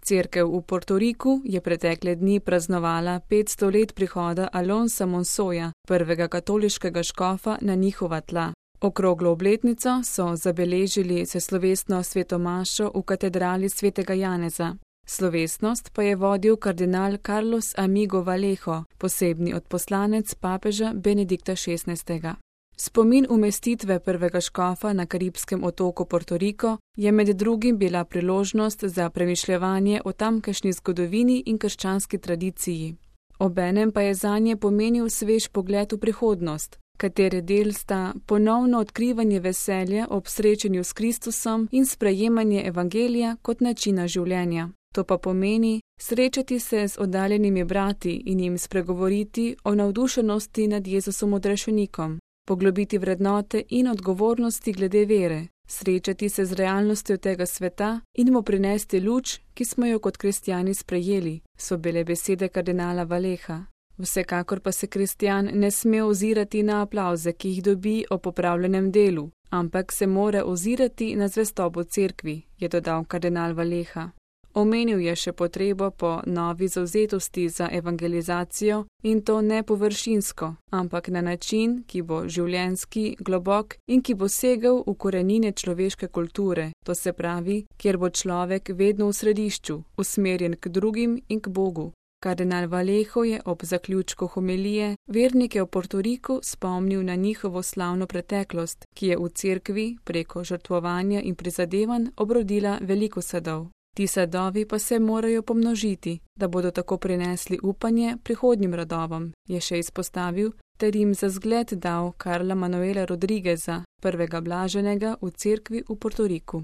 Cerkev v Portoriku je pretekle dni praznovala 500 let prihoda Alonsa Monsoja, prvega katoliškega škofa na njihova tla. Okroglo obletnico so zabeležili s slovesno svetomašo v katedrali svetega Janeza. Slovesnost pa je vodil kardinal Carlos Amigo Vallejo, posebni odposlanec papeža Benedikta XVI. Spomin umestitve prvega škofa na karibskem otoku Portoriko je med drugim bila priložnost za premišljevanje o tamkajšnji zgodovini in krščanski tradiciji. Obenem pa je zanje pomenil svež pogled v prihodnost, katere del sta ponovno odkrivanje veselja ob srečanju s Kristusom in sprejemanje evangelija kot načina življenja. To pa pomeni srečati se z oddaljenimi brati in jim spregovoriti o navdušenosti nad Jezusom odrešenikom, poglobiti vrednote in odgovornosti glede vere, srečati se z realnostjo tega sveta in mu prinesti luč, ki smo jo kot kristjani sprejeli, so bile besede kardinala Valleja. Vsekakor pa se kristjan ne sme ozirati na aplavze, ki jih dobi o popravljenem delu, ampak se mora ozirati na zvestobo cerkvi, je dodal kardinal Valleja. Omenil je še potrebo po novi zavzetosti za evangelizacijo in to ne površinsko, ampak na način, ki bo življenjski, globok in ki bo segel v korenine človeške kulture, to se pravi, kjer bo človek vedno v središču, usmerjen k drugim in k Bogu. Kardinal Vallejo je ob zaključku homilije vernike v Portoriku spomnil na njihovo slavno preteklost, ki je v cerkvi preko žrtvovanja in prizadevanj obrodila veliko sadov. Ti sadovi pa se morajo pomnožiti, da bodo tako prinesli upanje prihodnjim rodovom, je še izpostavil, ter jim za zgled dal Karla Manuela Rodrigueza, prvega blaženega v cerkvi v Portoriku.